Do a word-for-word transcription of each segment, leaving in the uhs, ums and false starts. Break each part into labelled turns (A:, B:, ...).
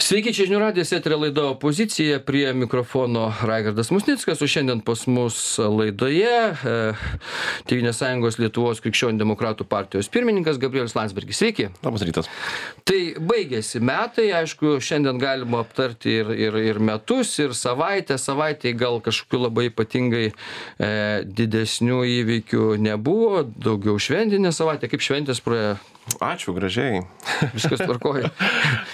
A: Sveiki, čia žinių radijas, eterio laida Opozicija, prie mikrofono Raigardas Musnickas, o šiandien pas mus laidoje e, Tėvynės sąjungos Lietuvos krikščionių demokratų partijos pirmininkas Gabrielius Landsbergis. Sveiki.
B: Labas rytas.
A: Tai baigėsi metai, aišku, šiandien galima aptarti ir, ir, ir metus, ir savaitę. Savaitėj gal kažkokių labai ypatingai e, didesnių įvykių nebuvo, daugiau šventinė savaitė. Kaip šventės praėjo?
B: Ačiū, gražiai.
A: Viskas tvarkoja.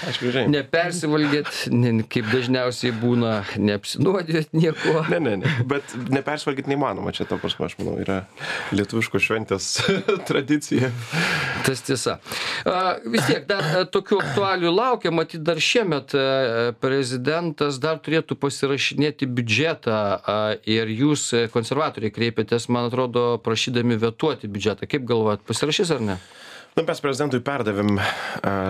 B: Ačiū, gražiai.
A: Nepersivalgėt, ne, kaip dažniausiai būna, neapsinuodėt nieko.
B: Ne, ne, ne. Bet nepersivalgyti neįmanoma. Čia, to prasme, aš manau, yra lietuviškos šventės tradicija.
A: Tas tiesa. A, vis tiek, dar a, tokių aktualių laukia. Matyt, dar šiemet a, prezidentas dar turėtų pasirašinėti biudžetą a, ir jūs, konservatoriai, kreipėtės, man atrodo, prašydami vetuoti biudžetą. Kaip galvojat, pasirašys ar ne?
B: Na, mes prezidentui perdavėm uh,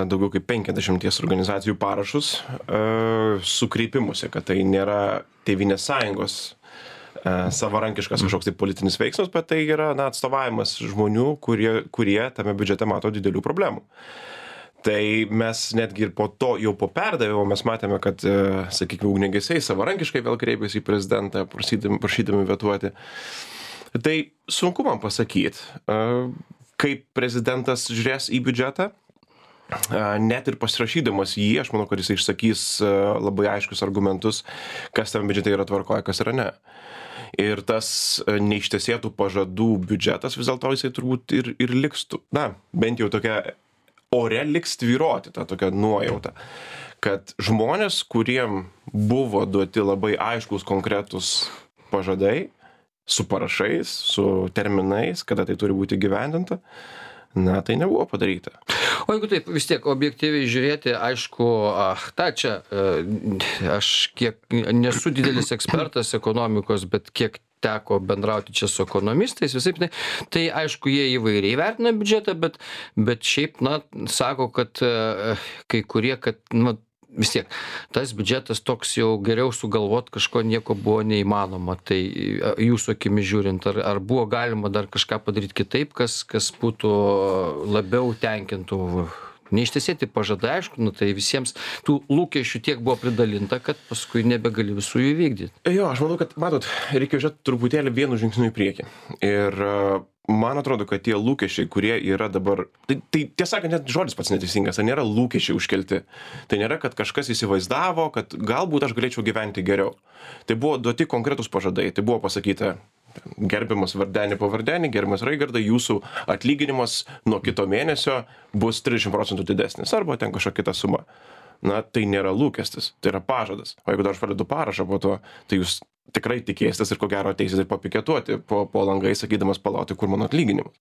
B: daugiau kaip penkiasdešimties organizacijų parašus uh, su kreipimusi, kad tai nėra Tėvynės sąjungos uh, savarankiškas kažkoks tai politinis veiksmas, bet tai yra na, atstovavimas žmonių, kurie, kurie tame biudžete mato didelių problemų. Tai mes netgi ir po to, jau po perdavimo, mes matėme, kad, uh, sakykime, ugniagesiai savarankiškai vėl kreipėsi į prezidentą, prašydami, prašydami vetuoti. Tai sunku man pasakyti. Uh, kaip prezidentas žiūrės į biudžetą, net ir pasirašydamas jį, aš manau, kad jis išsakys labai aiškius argumentus, kas tam biudžete yra tvarkoje, kas yra ne. Ir tas neištesėtų pažadų biudžetas vis dėlto jisai turbūt ir, ir liks, na, bent jau tokia ore liks tvyroti, ta tokia nuojauta, kad žmonės, kuriem buvo duoti labai aiškus konkretus pažadai, su parašais, su terminais, kada tai turi būti gyvendinta, na, tai nebuvo padaryta.
A: O jeigu taip, vis tiek objektyviai žiūrėti, aišku, ach, ta čia, aš kiek nesu didelis ekspertas ekonomikos, bet kiek teko bendrauti čia su ekonomistais, visai, tai, tai aišku, jie įvairiai vertina biudžetą, bet, bet šiaip, na, sako, kad kai kurie, kad, na, vis tiek, tas biudžetas toks jau geriau sugalvot kažko nieko buvo neįmanoma. Tai jūsų akimis žiūrint, ar, ar buvo galima dar kažką padaryti kitaip, kas, kas būtų labiau tenkintų? Neištesėti pažadai, aišku, nu, tai visiems tų lūkesčių tiek buvo pridalinta, kad paskui nebegali visų jų vykdyti.
B: Jo, aš manau, kad, matot, reikia žiūrėti truputėlį vienu žingsniu į priekį. Ir man atrodo, kad tie lūkesčiai, kurie yra dabar, tai, tai tiesą sakant, net žodis pats neteisingas, tai nėra lūkesčiai užkelti. Tai nėra, kad kažkas įsivaizdavo, kad galbūt aš galėčiau gyventi geriau. Tai buvo duoti konkretus pažadai, tai buvo pasakyta, gerbiamas Vardenį pavardenį, gerbiamas Raigardai, jūsų atlyginimas nuo kito mėnesio bus trisdešimt procentų didesnis, arba ten kažkokia kita suma. Na, tai nėra lūkestis, tai yra pažadas. O jeigu dar aš pradedu parašą po to, tai jūs tikrai tikėsitės ir ko gero ateisit ir papiketuoti po, po langai, sakydamas palauti, kur mano atlyginimas.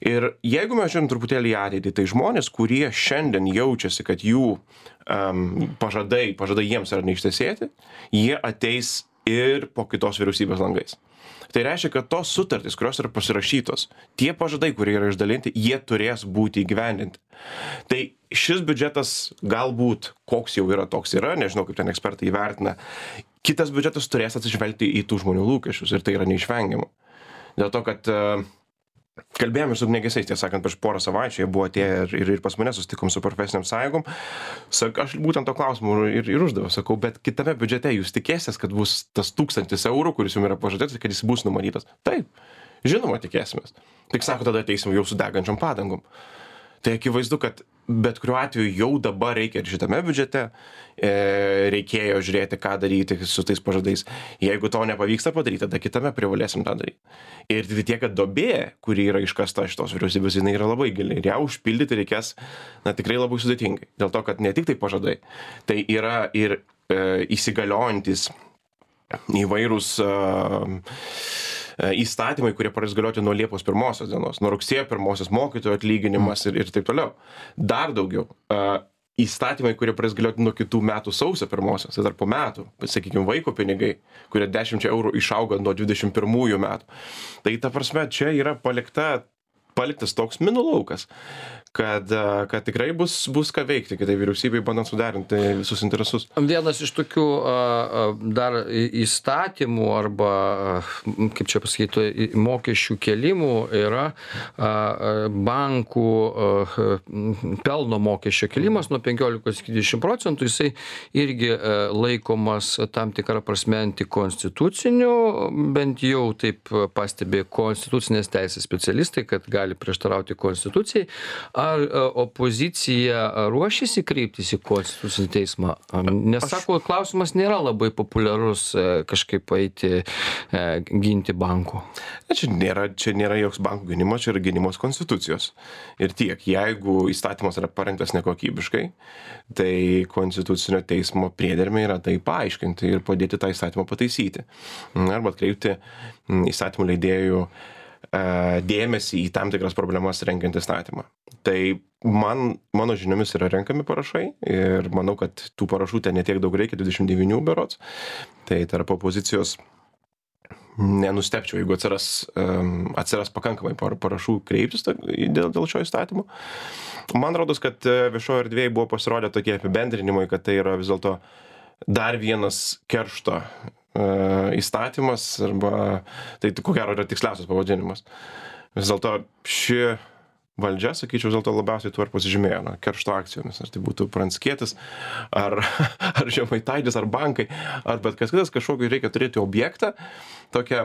B: Ir jeigu mes žiūrim truputėlį į ateitį, tai žmonės, kurie šiandien jaučiasi, kad jų um, pažadai, pažadai jiems yra neištesėti, jie ateis ir po kitos vyriausybės langais. Tai reiškia, kad tos sutartys, kurios yra pasirašytos, tie pažadai, kurie yra išdalinti, jie turės būti įgyvendinti. Tai šis biudžetas galbūt, koks jau yra, toks yra, nežinau, kaip ten ekspertai įvertina, kitas biudžetas turės atsižvelgti į tų žmonių lūkesčius ir tai yra neišvengiama. Dėl to, kad uh, kalbėjome su ugniagesiais, tiesą sakant, prieš porą savaičių, jie buvo atėję ir, ir, ir pas mane susitikom su profesiniam sąjungom. Sak, aš būtent to klausimų ir, ir uždaviau, sakau, bet kitame biudžete jūs tikėsitės, kad bus tas tūkstantis eurų, kuris jums yra pažadėtas, kad jis bus numatytas. Taip, žinoma, tikėsimės. Tik sako, tada ateisim jau su degančiom padangom. Tai akivaizdu, kad bet kuriuo atveju jau dabar reikia ir šitame biudžete e, reikėjo žiūrėti, ką daryti su tais pažadais. Jeigu to nepavyksta padaryti, tada kitame privalėsim tą daryti. Ir tik tiek, kad duobė, kuri yra iškasta šitos vyriausybės, jinai yra labai gili. Ir ją užpildyti reikės, na, tikrai labai sudėtingai. Dėl to, kad ne tik tai pažadai, tai yra ir e, įsigaliojantis įvairūs e, įstatymai, kurie pradės galioti nuo Liepos pirmosios dienos, nuo rugsėjo pirmosios mokytojų atlyginimas ir, ir taip toliau. Dar daugiau, įstatymai, kurie pradės galioti nuo kitų metų sausio pirmosios, tai dar po metų, sakykime, vaiko pinigai, kurie dešimt eurų išauga nuo dvidešimt pirmųjų metų. Tai ta prasme, čia yra palikta, paliktas toks minų laukas, kad, kad tikrai bus, bus ką veikti, kitai vyriausybei bandant suderinti visus interesus.
A: Vienas iš tokių dar įstatymų arba, kaip čia pasakyti, mokesčių kelimų yra bankų pelno mokesčio kelimas nuo penkiolikos iki dvidešimt procentų. Jisai irgi laikomas tam tikrą prasme antikonstituciniu, bent jau taip pastebė konstitucinės teisės specialistai, kad gali prieštarauti konstitucijai. Ar opozicija ruošiasi kreiptis į konstitucinį teismą? Nes, sako, klausimas nėra labai populiarus kažkaip eiti ginti bankų.
B: Čia nėra, čia nėra joks bankų gynimas, čia yra gynimas konstitucijos. Ir tiek, jeigu įstatymas yra parengtas nekokybiškai, tai konstitucinio teismo priedermė yra tai paaiškinti ir padėti tą įstatymą pataisyti. Arba atkreipti įstatymų leidėjų dėmesį į tam tikras problemas rengiant įstatymą. Tai man, mano žiniomis yra renkami parašai ir manau, kad tų parašų ten netiek daug reikia, dvidešimt devyni berods. Tai tarp opozicijos nenustepčiau, jeigu atsiras, atsiras pakankamai parašų kreiptis dėl, dėl šio įstatymo. Man rodos, kad viešoje erdvėje buvo pasirodę tokie apibendrinimai, kad tai yra vis dėlto dar vienas keršto įstatymas, arba tai ko gero yra tiksliausias pavadinimas. Vis dėlto ši valdžia, sakyčiau, vis dėlto labiausiai tuo ir pasižymėjo, na, keršto akcijomis. Ar tai būtų Pranckietis, ar, ar Žemaitaitis, ar bankai, ar bet kas kitas, kažkokį reikia turėti objektą, tokią,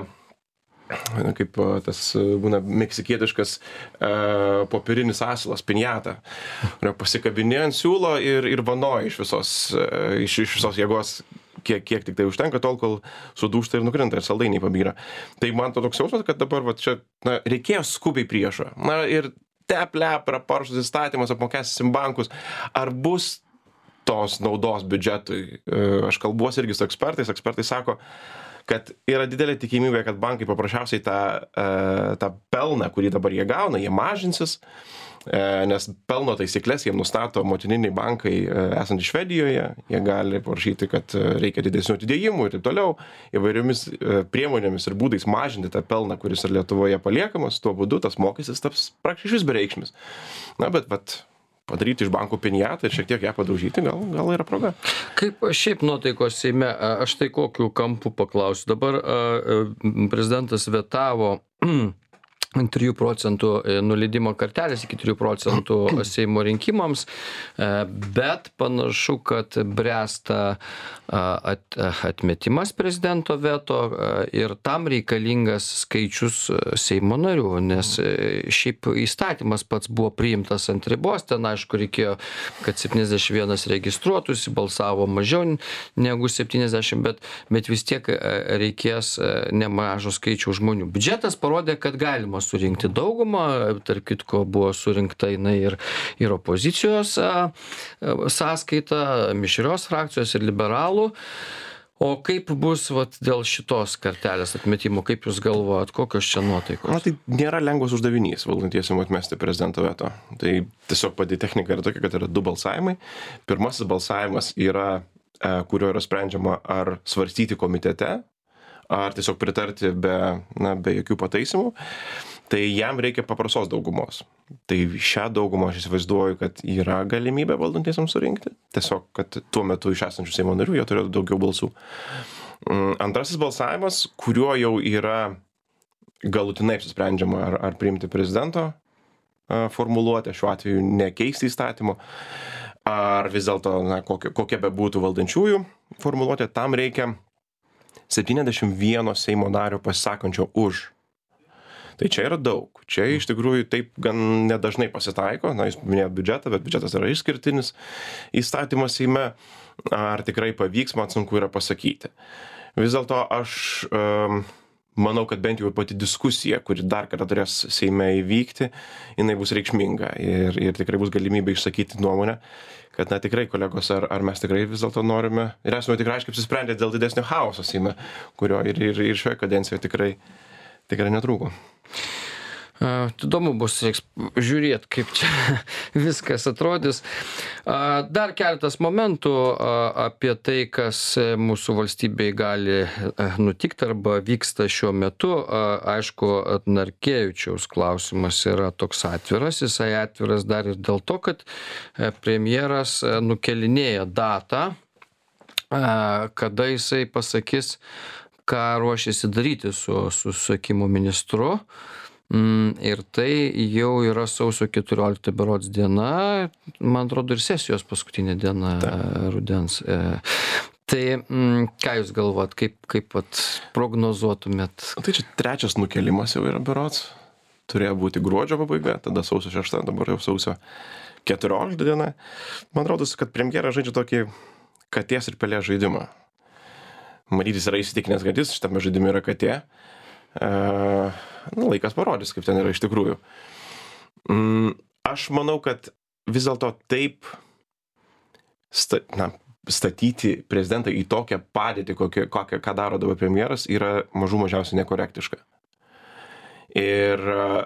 B: na, kaip tas būna meksikietiškas e, popierinis asilas, pinjata, kurio pasikabinė ant siūlo ir, ir vanoja iš visos, e, iš, iš visos jėgos, kiek, kiek tik tai užtenka, tol, kol sudūžta ir nukrinta ir saldainiai pabyra. Tai man to toks jausmas, kad dabar va, čia na, reikėjo skubiai priešo. Na ir tep-lep yra paruoštas įstatymas, apmokestinsim bankus. Ar bus tos naudos biudžetui? Aš kalbuosi irgi su ekspertais. Ekspertai sako, kad yra didelė tikimybė, kad bankai paprasčiausiai tą, tą pelną, kurį dabar jie gauna, jie mažinsis, nes pelno taisyklės jiem nustato motininiai bankai esantys Švedijoje, jie gali parašyti, kad reikia didesnių atidėjimų ir taip toliau, įvairiomis priemonėmis ir būdais mažinti tą pelną, kuris ir Lietuvoje paliekamas, tuo būdu tas mokestis taps praktiškai bereikšmis. Na, bet, bet padaryti iš bankų pinjatą ir šiek tiek ją padaužyti, gal, gal yra proga.
A: Kaip šiaip nuotaikos Seime, aš tai kokiu kampu paklausiu. Dabar prezidentas vetavo trijų procentų nuleidimo kartelės iki trijų procentų Seimo rinkimams, bet panašu, kad bręsta at, atmetimas prezidento veto ir tam reikalingas skaičius Seimo narių, nes šiaip įstatymas pats buvo priimtas ant ribos, ten aišku reikėjo, kad septyniasdešimt vienas registruotųsi, balsavo mažiau negu septyniasdešimt, bet, bet vis tiek reikės nemažo skaičių žmonių. Biudžetas parodė, kad galima surinkti daugumą, tarp kitko buvo surinkta jinai ir, ir opozicijos a, sąskaita, mišrios frakcijos ir liberalų. O kaip bus vat, dėl šitos kartelės atmetimo, kaip jūs galvojat, kokios čia nuotaikos?
B: Na, tai nėra lengvas uždavinys valdantiesiem atmesti prezidento veto. Tai tiesiog pati technika yra tokia, kad yra du balsavimai. Pirmasis balsavimas yra, kurio yra sprendžiama ar svarstyti komitete, ar tiesiog pritarti be, na, be jokių pataisimų, tai jam reikia paprastos daugumos. Tai šią daugumą aš įsivaizduoju, kad yra galimybė valdantiesiams surinkti. Tiesiog, kad tuo metu iš esančių Seimo narių jie turėtų daugiau balsų. Antrasis balsavimas, kuriuo jau yra galutinai apsisprendžiama, ar, ar priimti prezidento formuluotę, šiuo atveju nekeisti įstatymo, ar vis dėlto, na, kokia, kokia be būtų valdančiųjų formuluotė, tam reikia septyniasdešimt vieno Seimo nario pasisakančio už. Tai čia yra daug. Čia iš tikrųjų taip gan nedažnai pasitaiko. Na, jūs minėjot biudžetą, bet biudžetas yra išskirtinis įstatymas Seime. Ar tikrai pavyks, man sunku yra pasakyti. Vis dėlto aš um, manau, kad bent jau pati diskusija, kuri dar kartą turės Seime įvykti, jinai bus reikšminga. Ir, ir tikrai bus galimybė išsakyti nuomonę, kad, na, tikrai, kolegos, ar, ar mes tikrai vis dėlto norime ir esame tikrai aiškiai apsisprendę dėl didesnio chaoso Seime, kurio ir, ir, ir šioje kadencijoje tikrai, tikrai netrūko.
A: Įdomu bus reiks žiūrėti, kaip čia viskas atrodys. Dar keletas momentų apie tai, kas mūsų valstybėje gali nutikti arba vyksta šiuo metu. Aišku, Narkevičiaus klausimas yra toks atviras. Jisai atviras dar ir dėl to, kad premjeras nukelinėja datą, kada jisai pasakys, ką ruošiasi daryti su susisiekimo ministru. Mm, ir tai jau yra sausio keturiolikta berods diena, man atrodo, ir sesijos paskutinė diena Ta. rudens. E, tai mm, ką jūs galvot, kaip, kaip vat, prognozuotumėt?
B: Tai čia trečias nukelimas jau yra berods. Turėjo būti gruodžio pabaiga, tada sausio šešta, dabar jau sausio keturiolikta diena. Man rodos, kad premjeras žaidžia tokį katės ir pelės žaidimą. Matytis yra įsitikinęs, kad jis šitame žaidime yra katė. Uh, nu, laikas parodys, kaip ten yra iš tikrųjų. Mm, aš manau, kad vis dėlto taip sta, na, statyti prezidentą į tokią padėtį, kokią, kokią, ką daro dabar premjeras, yra mažų mažiausiai nekorektiška. Ir uh,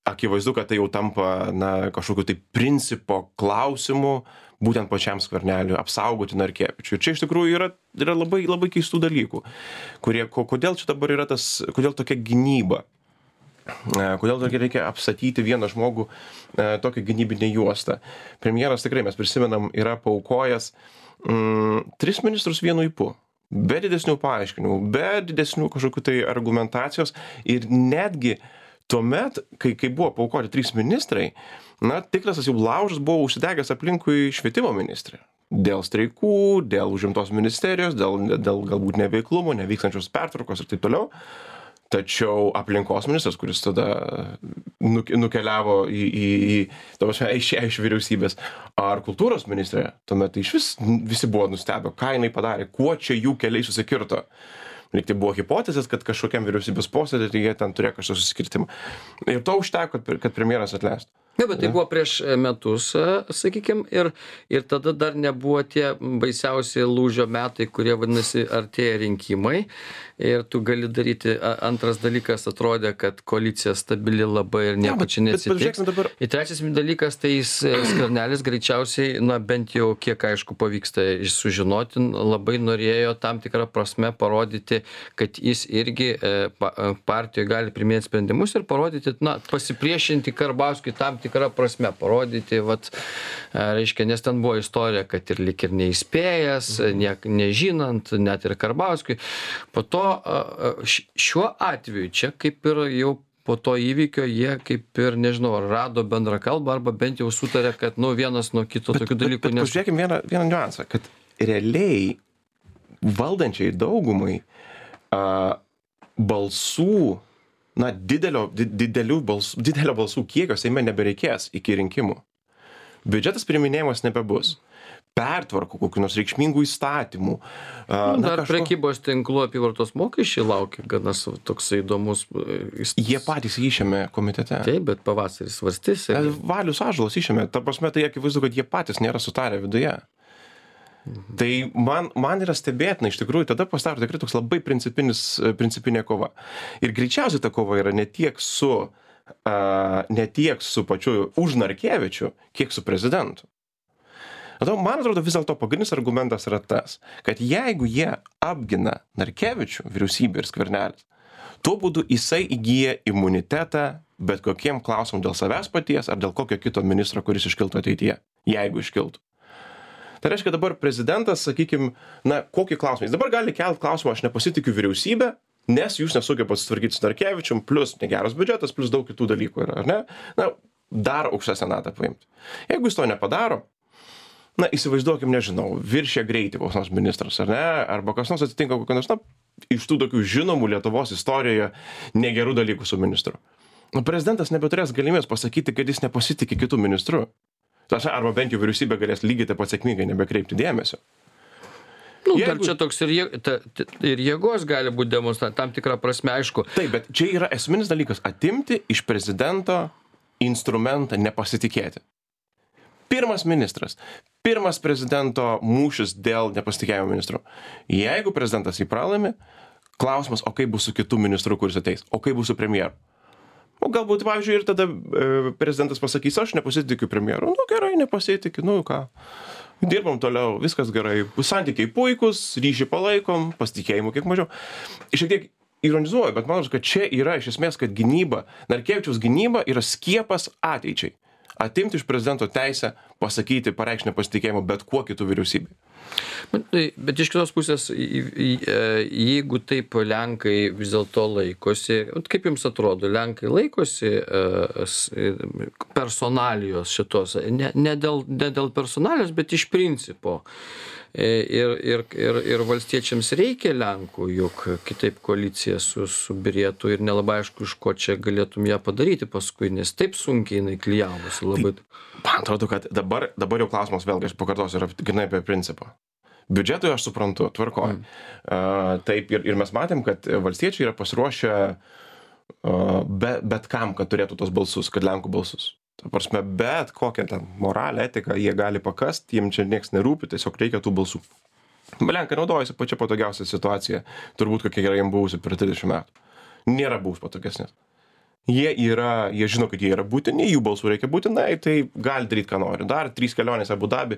B: akivaizdu, kad tai jau tampa na, kažkokiu tai principo klausimu, būtent pačiam Skverneliui apsaugoti Narkevičių. Ir čia iš tikrųjų yra, yra labai, labai keistų dalykų, kurie, kodėl čia dabar yra tas, kodėl tokia gynyba, kodėl reikia apstatyti vieną žmogų tokią gynybinę juostą. Premjeras tikrai, mes prisimenam, yra paaukojęs mm, tris ministrus vienu ypu. Be didesnių paaiškinimų, be didesnių kažkokių tai argumentacijos ir netgi tuomet, kai, kai buvo paaukoti trys ministrai, na, tikras tas jau laužas buvo užsidegęs aplinkui švietimo ministrė. Dėl streikų, dėl užimtos ministerijos, dėl, dėl galbūt neveiklumo, nevykstančios pertvarkos ir taip toliau. Tačiau aplinkos ministras, kuris tada nukeliavo į, į, į, iš, iš vyriausybės, ar kultūros ministrė, tuomet iš vis visi buvo nustebę, ką jinai padarė, kuo čia jų keliai susikirto. Lyg tai buvo hipotezės, kad kažkokiam vyriausybės posėdį tai jie ten turėjo kažkokį susikirtimą. Ir to užteko, kad, kad premjeras atleistų.
A: Ne, bet tai buvo prieš metus, sakykime, ir, ir tada dar nebuvo tie baisiausi lūžio metai, kurie vadinasi artėja rinkimai. Ir tu gali daryti, antras dalykas atrodė, kad koalicija stabili labai ir nieko čia neatsitiks.
B: Dabar...
A: Ir trečias dalykas, tai jis Skvernelis greičiausiai, na bent jau kiek aišku pavyksta sužinoti, labai norėjo tam tikrą prasme parodyti, kad jis irgi partijoje gali priimti sprendimus ir parodyti, na, pasipriešinti Karbauskiui tam tikrą prasme, parodyti, vat, reiškia, nes ten buvo istorija, kad ir lik ir neįspėjęs, ne, nežinant, net ir Karbauskiui. Po to šiuo atveju čia kaip ir jau po to įvykio jie kaip ir, nežinau, rado bendrą kalbą arba bent jau sutarė, kad, nu, vienas nuo kito tokių dalykų.
B: Bet, bet, nes... Pažiūrėkime vieną, vieną niuansą, kad realiai valdančiai daugumai a, balsų, na, didelio, didelių balsų, didelio balsų kiekio Seime nebereikės iki rinkimų. Biudžetas priiminėjimas nebebus. Pertvarkų, kokių nors reikšmingų įstatymų.
A: Na, dar kažko... prekybos tinklų apyvartos mokesčiai laukia, gana toks įdomus.
B: Jie patys išėmė komitete.
A: Taip, bet pavasaris svarstys. Ir...
B: Valius Ąžuolas išėmė. Ta prasme, tai akivaizdu, kad jie patys nėra sutarę viduje. Mhm. Tai man, man yra stebėtina, iš tikrųjų, tada pasidaro tikrai toks labai principinė kova. Ir greičiausiai ta kova yra ne tiek su, uh, ne tiek su pačiu už Narkevičių, kiek su prezidentu. Man atrodo, vis dėlto pagrindinis argumentas yra tas, kad jeigu jie apgina Narkevičių, vyriausybė ir Skvernelis, tuo būdu jisai įgyja imunitetą bet kokiem klausimam dėl savęs paties ar dėl kokio kito ministro, kuris iškiltų ateityje, jeigu iškiltų. Tai reiškia, dabar prezidentas, sakykime, na, kokį klausimą. Jis dabar gali kelti klausimą, aš nepasitikiu vyriausybę, nes jūs nesugebate susitvarkyti su Narkevičium, plus negeras biudžetas, plus daug kitų dalykų yra, ar ne? Na, dar aukštesnę natą paimti. Jeigu jis to nepadaro, na, įsivaizduokim, nežinau, viršė greitį koks nors ministras, ar ne, arba kas nors atsitinka kokios nors, na, iš tų tokių žinomų Lietuvos istorijoje negerų dalykų su ministru. Nu, prezidentas nebeturės galimybės pasakyti, kad jis nepasitikė kitų ministrų. Arba bent jau vyriausybė galės lygiai taip pat sėkmingai nebekreipti dėmesio.
A: Nu, Jeigu... dar čia toks ir, jė... ta, ir jėgos gali būti demonstruoti, tam tikrą prasme, aišku.
B: Taip, bet čia yra esminis dalykas - atimti iš prezidento instrumentą nepasitikėti. Pirmas ministras, pirmas prezidento mūšis dėl nepasitikėjimo ministru. Jeigu prezidentas jį pralaimi, klausimas, o kaip bus su kitų ministru, kuris ateis, o kaip bus su premjeru. O galbūt, pavyzdžiui, ir tada e, prezidentas pasakys, aš nepasitikiu premjeru. Nu gerai, nepasitikiu, nu ką. Dirbam toliau, viskas gerai. Santykiai puikus, ryšį palaikom, pasitikėjimų kiek mažiau. Šiek tiek ironizuoju, bet manau, kad čia yra iš esmės, kad gynyba, Narkevičiaus gynyba yra skiepas ateičiai. Atimti iš prezidento teisę pasakyti, pareikšti nepasitikėjimą bet kuo kitų vyriausybei.
A: Bet, bet iš kitos pusės, jeigu taip Lenkai vis dėlto laikosi, kaip jums atrodo, Lenkai laikosi personalijos šitos, ne, ne, dėl, ne dėl personalijos, bet iš principo. Ir, ir, ir, ir valstiečiams reikia Lenkų, juk kitaip koalicija su, subirėtų ir nelabai aišku, iš ko čia galėtum ją padaryti paskui, nes taip sunkiai jinai klijavosi labai.
B: Tai, man atrodo, kad dabar, dabar jau klausimas vėlgi, aš pakartosiu, yra grinai apie principą. Biudžetui aš suprantu, tvarkoj. Mm. Uh, taip, ir, ir mes matėm, kad valstiečiai yra pasiruošę uh, be, bet kam, kad turėtų tos balsus, kad Lenkų balsus. Ta prasme, bet kokią ten moralę, etiką jie gali pakast, jiem čia nieks nerūpi, tiesiog reikia tų balsų. Lenkai naudojasi pačia patogiausia situacija, turbūt kokia yra jiem buvusi per trisdešimt metų. Nėra buvus patogesnės. Jie yra, jie žino, kad jie yra būtini, jų balsų reikia būtinai, tai gali daryti, ką nori. Dar trys kelionės Abu Dabi,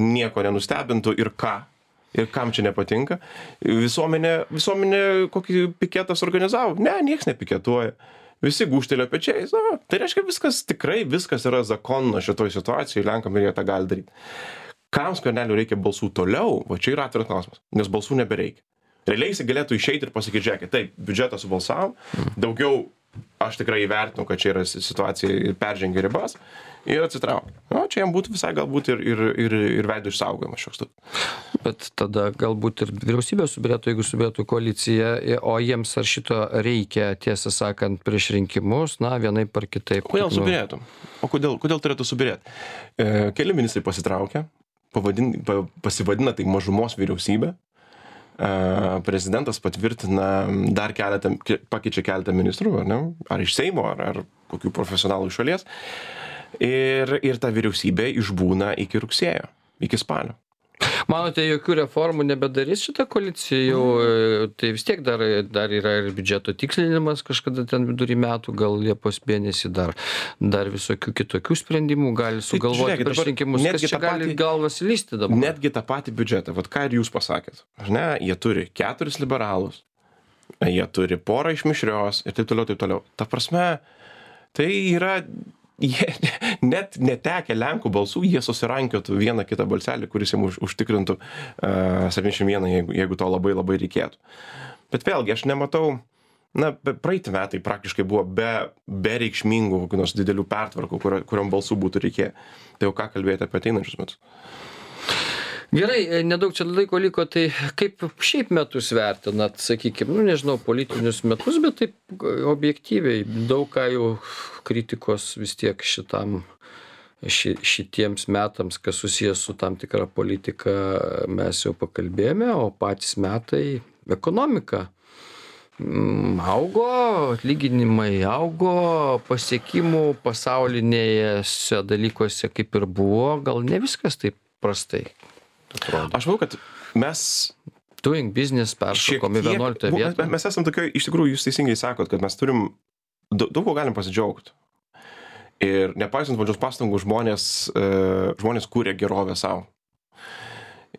B: nieko nenustebintų ir ką. Ir kam čia nepatinka. Visuomenė, visuomenė kokį piketą suorganizavo? Ne, nieks nepiketuoja. Visi gūžtelėjo pečiais. Na, tai reiškia, viskas tikrai, viskas yra zakonno šitoj situacijai, Lenkam ir jie tą gali daryti. Kam Skverneliui reikia balsų toliau? Va čia yra atviras klausimas, nes balsų nebereikia. Realiai jis galėtų išeiti ir pasakyti, žiūrėkit, taip, biudžetą subalsavom, daugiau aš tikrai įvertinu, kad čia yra situacija ir peržengia ribas ir atsitraukia. O čia jam būtų visai galbūt ir, ir, ir, ir veido išsaugojimas šioks toks.
A: Bet tada galbūt ir vyriausybė subirėtų, jeigu subirėtų koalicija, o jiems ar šito reikia, tiesą sakant, prieš rinkimus, na, vienaip ar kitaip.
B: Kodėl subirėtų? O kodėl, kodėl turėtų subirėti? E, keli ministrai pasitraukia, pavadin, pa, pasivadina tai mažumos vyriausybė. Uh, prezidentas patvirtina dar keletą, pakeičia keletą ministrų, ar ne? Ar iš Seimo, ar, ar kokių profesionalų iš šalies. Ir, ir ta vyriausybė išbūna iki rugsėjo, iki spalio.
A: Manote, jokių reformų nebedarys šitą koaliciją jau, tai vis tiek dar, dar yra ir biudžeto tikslinimas kažkada ten vidury metų, gal Liepos mėnesį dar, dar visokių kitokių sprendimų gali sugalvoti prieš rinkimus, kas čia gali galvas lysti dabar.
B: Netgi tą patį biudžetą, vat ką ir jūs pasakėt, ne, jie turi keturis liberalus, jie turi porą iš mišrios ir taip toliau, taip toliau. Ta prasme, tai yra... Jie net netekę Lenkų balsų, jie susirankiotų vieną kitą balselį, kuris jiems už, užtikrintų uh, septyniasdešimt vieną, jeigu, jeigu to labai labai reikėtų. Bet vėlgi, aš nematau, na, praeiti metai praktiškai buvo be, be reikšmingų kokių nors didelių pertvarkų, kurio, kuriom balsų būtų reikėję. Tai jau ką kalbėti apie ateinančius metus.
A: Gerai, nedaug čia laiko liko, tai kaip šiaip metus vertinat, sakykime, nu nežinau, politinius metus, bet taip objektyviai, daug ką jau kritikos vis tiek šitam, ši, šitiems metams, kas susijęs su tam tikra politika, mes jau pakalbėjome, o patys metai ekonomika. Augo, atlyginimai augo, pasiekimų pasaulinėse dalykuose kaip ir buvo, gal ne viskas taip prastai. Atrodo.
B: Aš manau, kad mes...
A: Doing business peršokom į vienuoliktą vietą.
B: Mes esam tokioj, iš tikrųjų, jūs teisingai sakot, kad mes turim, daug, daug ko galim pasidžiaugti. Ir nepaisant valdžios pastangų, žmonės, uh, žmonės kūrė gerovę savo.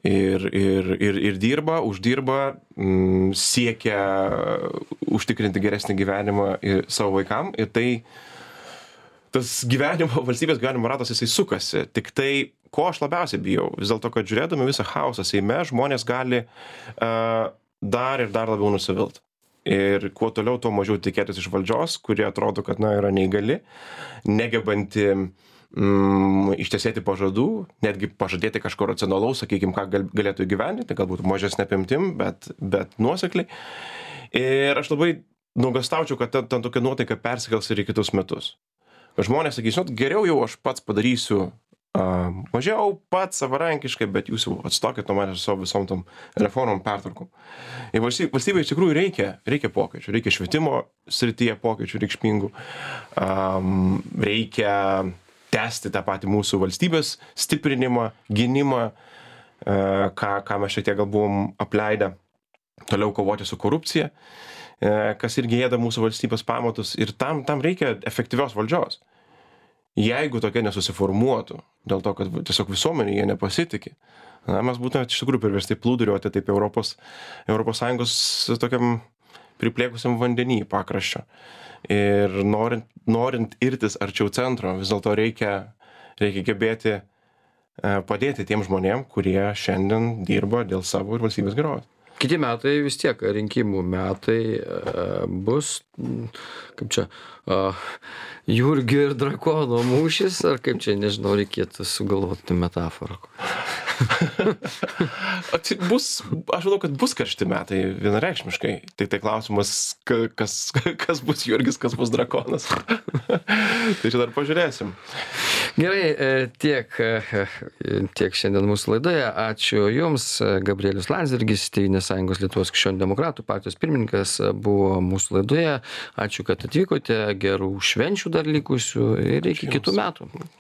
B: Ir, ir, ir, ir dirba, uždirba, m, siekia užtikrinti geresnį gyvenimą ir savo vaikam. Ir tai, tas gyvenimo, valstybės gyvenimo ratas, jisai sukasi. Tik tai, ko aš labiausiai bijau, vis dėlto, kad žiūrėdami visą chaosą Seime, žmonės gali uh, dar ir dar labiau nusivilti. Ir kuo toliau, tuo mažiau tikėtis iš valdžios, kurie atrodo, kad na, yra neįgali, negebanti mm, ištesėti pažadų, netgi pažadėti kažko racionalaus, sakykime, ką gal, galėtų įgyvendinti, galbūt mažesnė apimtim, bet, bet nuosekliai. Ir aš labai nuogastaučiau, kad ten, ten tokia nuotaika persikels ir į kitus metus. Žmonės sakys, žinot, geriau jau aš pats padarysiu Uh, mažiau pats savarankiškai, bet jūs jau atstokit nuo manęs su savo visom tom reformom, pertvarkom. Ir valstybė, valstybė iš tikrųjų reikia, reikia pokyčių, reikia švietimo srityje pokyčių reikšmingų, um, reikia tęsti tą patį mūsų valstybės stiprinimą, gynimą, uh, ką, ką mes šiek tiek gal buvom apleidę, toliau kovoti su korupcija. kas irgi ėda mūsų valstybės pamatus ir tam, tam reikia efektyvios valdžios. Jeigu tokia nesusiformuotų, dėl to, kad tiesiog visuomenė jie nepasitikė, na, mes būtume iš tikrųjų priversti plūduriuoti taip Europos, Europos Sąjungos tokiam priplėkusiam vandenį pakraščio. Ir norint, norint irtis arčiau centro, vis dėlto reikia, reikia gebėti padėti tiem žmonėm, kurie šiandien dirba dėl savo ir valstybės gerovės.
A: Kiti metai vis tiek rinkimų metai bus, kaip čia, Jurgio ir drakono mūšis, ar kaip čia, nežinau, reikėtų sugalvoti metaforą.
B: bus, aš manau, kad bus karšti metai vienareikšmiškai. Tai tai klausimas, kas, kas bus Jurgis, kas bus drakonas. Tai čia dar pažiūrėsim.
A: Gerai, tiek, tiek šiandien mūsų laidoje. Ačiū Jums. Gabrielius Landsbergis, Tėvynės sąjungos Lietuvos krikščionių demokratų partijos pirmininkas, buvo mūsų laidoje. Ačiū, kad atvykote. Gerų švenčių dar likusių ir iki kitų metų.